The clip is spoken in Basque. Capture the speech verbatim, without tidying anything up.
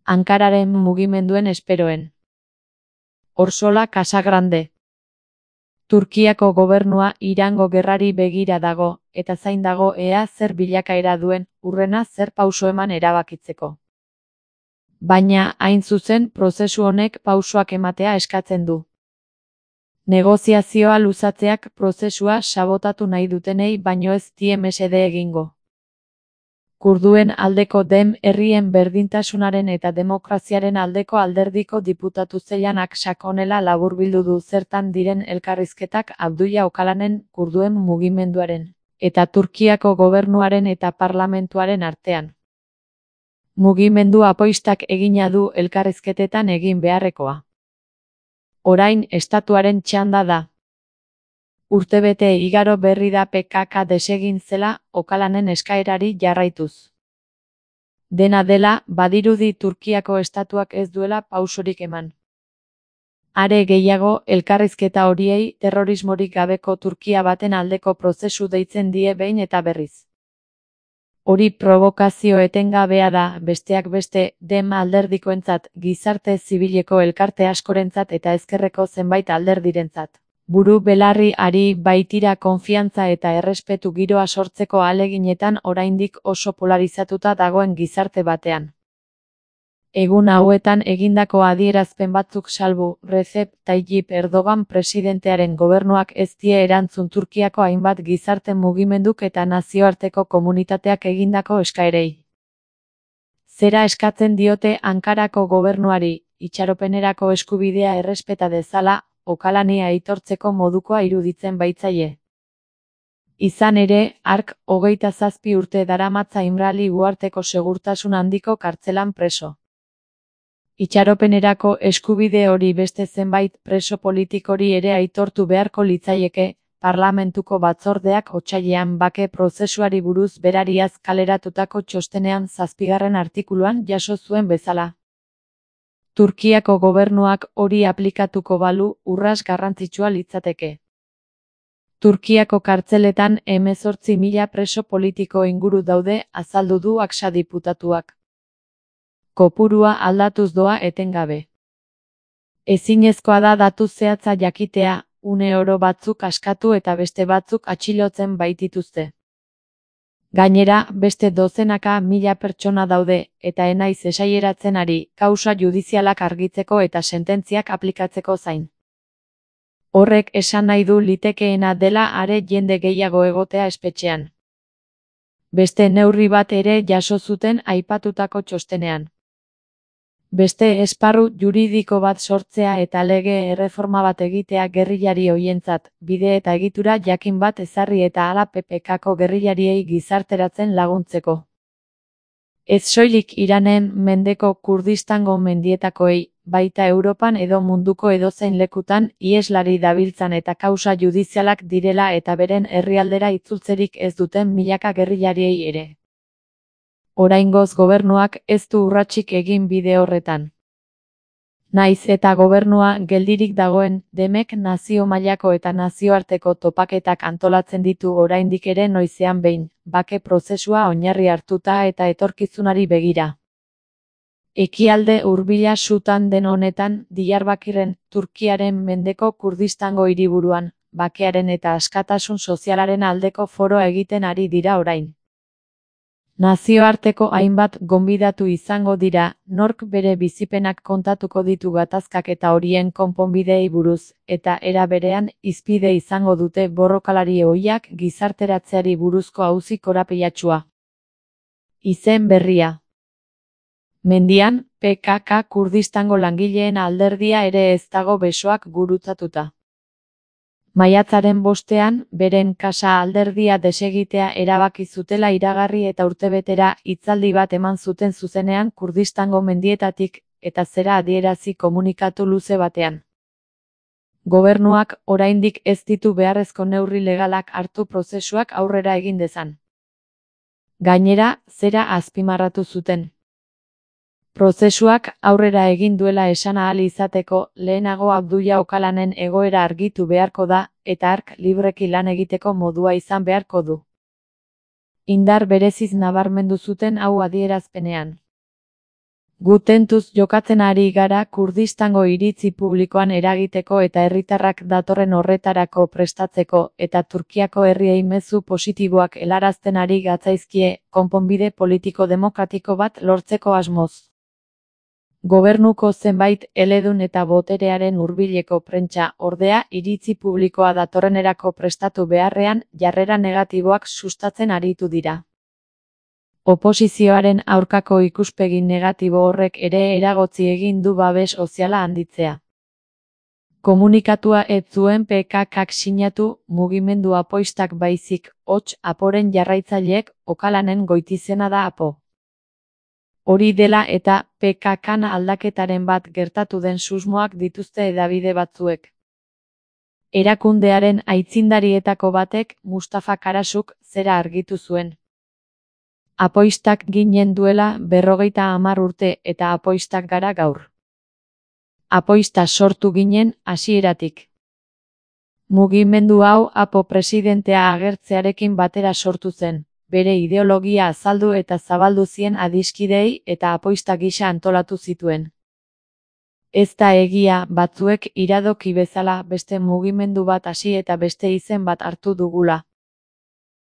Ankararen mugimenduen esperoen. Orsola Casagrande. Turkiako gobernua Irango gerrari begira dago, eta zain dago ea zer bilakaera duen, hurrena zer pauso eman erabakitzeko. Baina, hain zuzen, prozesu honek pausoak ematea eskatzen du. Negoziazioa luzatzeak prozesua sabotatu nahi dutenei baino ez die mesede egingo. Kurduen aldeko Dem herrien berdintasunaren eta demokraziaren aldeko alderdiko diputatu zeilanak sakonela laburbildu du zertan diren elkarrizketak Abdullah Öcalanen kurduen mugimenduaren eta Turkiako gobernuaren eta parlamentuaren artean. Mugimendu apoistak egina du elkarrizketetan egin beharrekoa. Orain estatuaren txanda da. Urtebete igaro berri da P K K desegin zela Öcalanen eskaerari jarraituz. Dena dela, badirudi Turkiako estatuak ez duela pausorik eman. Are gehiago, elkarrizketa horiei terrorismorik gabeko Turkia baten aldeko prozesu deitzen die behin eta berriz. Hori provokazio etengabea da, besteak beste, Dem alderdikoentzat, gizarte zibileko elkarte askorentzat eta ezkerreko zenbait alderdirentzat. Buru belarri ari baitira konfiantza eta errespetu giroa sortzeko ahaleginetan oraindik oso polarizatuta dagoen gizarte batean. Egun hauetan egindako adierazpen batzuk salbu, Recep Tayyip Erdogan presidentearen gobernuak ez die erantzun Turkiako hainbat gizarte mugimenduk eta nazioarteko komunitateak egindako eskaerei. Zera eskatzen diote Ankarako gobernuari, itxaropenerako eskubidea errespeta dezala, Öcalani aitortzeko modukoa iruditzen baitzaie. Izan ere, hark hogeita zazpi urte daramatza Imrali uharteko segurtasun handiko kartzelan preso. Itxaropenerako eskubide hori beste zenbait preso politikori ere aitortu beharko litzaieke, parlamentuko batzordeak otsailean bake prozesuari buruz berariaz kaleratutako txostenean zazpigarren artikuluan jaso zuen bezala. Turkiako gobernuak hori aplikatuko balu urras garrantzitsua litzateke. Turkiako kartzeletan hemezortzi mila preso politiko inguru daude, azaldu du Aksa diputatuak. Kopurua aldatuz doa etengabe. Ezinezkoa da datu zehatza jakitea, une oro batzuk askatu eta beste batzuk atxilotzen baitituzte. Gainera, beste dozenaka mila pertsona daude, eta enaiz esaieratzen ari, kausa judizialak argitzeko eta sententziak aplikatzeko zain. Horrek esan nahi du litekeena dela are jende gehiago egotea espetxean. Beste neurri bat ere jaso zuten aipatutako txostenean. Beste esparru juridiko bat sortzea eta lege erreforma bat egitea gerrillari hoientzat, bide eta egitura jakin bat ezarri eta hala P P K-ko gerrillariei gizarteratzen laguntzeko. Ez soilik Iranen mendeko Kurdistango mendietakoei, baita Europan edo munduko edozein lekutan iheslari dabiltzan eta kausa judizialak direla eta beren herrialdera itzultzerik ez duten milaka gerrillariei ere. Oraingoz gobernuak ez du urratsik egin bide horretan. Naiz eta gobernua geldirik dagoen, Demek nazio mailako eta nazioarteko topaketak antolatzen ditu oraindik ere noizean behin, bake prozesua oinarri hartuta eta etorkizunari begira. Ekialde hurbila sutan den honetan, Diyarbakirren, Turkiaren mendeko Kurdistango hiriburuan, bakearen eta askatasun sozialaren aldeko foroa egiten ari dira orain. Nazioarteko hainbat gonbidatu izango dira, nork bere bizipenak kontatuko ditu gatazkak eta horien konponbideei buruz, eta era berean hizpide izango dute borrokalari ohiak gizarteratzeari buruzko auzi korapilatsua. Izen berria. Mendian, P K K Kurdistango langileen alderdia ere ez dago besoak gurutzatuta. Maiatzaren bostean, beren kasa alderdia desegitea erabaki zutela iragarri eta urtebetera hitzaldi bat eman zuten zuzenean Kurdistango mendietatik, eta zera adierazi komunikatu luze batean. Gobernuak oraindik ez ditu beharrezko neurri legalak hartu prozesuak aurrera egin dezan. Gainera, zera azpimarratu zuten. Prozesuak aurrera egin duela esan ahal izateko, lehenago Abdullah Öcalanen egoera argitu beharko da, eta hark libreki lan egiteko modua izan beharko du. Indar bereziz nabarmendu zuten hau adierazpenean. Gu tentuz jokatzen ari gara Kurdistango iritzi publikoan eragiteko eta herritarrak datorren horretarako prestatzeko, eta Turkiako herriei mezu positiboak helarazten ari gatzaizkie, konponbide politiko demokratiko bat lortzeko asmoz. Gobernuko zenbait eledun eta boterearen hurbileko prentsa, ordea, iritzi publikoa datorrenerako prestatu beharrean, jarrera negatiboak sustatzen aritu dira. Oposizioaren aurkako ikuspegi negatibo horrek ere eragotzi egin du babes soziala handitzea. Komunikatua ez zuen P K K sinatu, mugimendu apoistak baizik, hots, aporen jarraitzaileek, Okalanen goitizena da apo. Hori dela eta, P K K aldaketaren bat gertatu den susmoak dituzte hedabide batzuek. Erakundearen aitzindarietako batek, Mustafa Karasuk, zera argitu zuen. Apoistak ginen duela berrogeita hamar urte eta apoistak gara gaur. Apoista sortu ginen hasieratik. Mugimendu hau apo presidentea agertzearekin batera sortu zen, bere ideologia azaldu eta zabaldu zien adiskideei eta apoista gisa antolatu zituen. Ez da egia, batzuek iradoki bezala beste mugimendu bat hasi eta beste izen bat hartu dugula.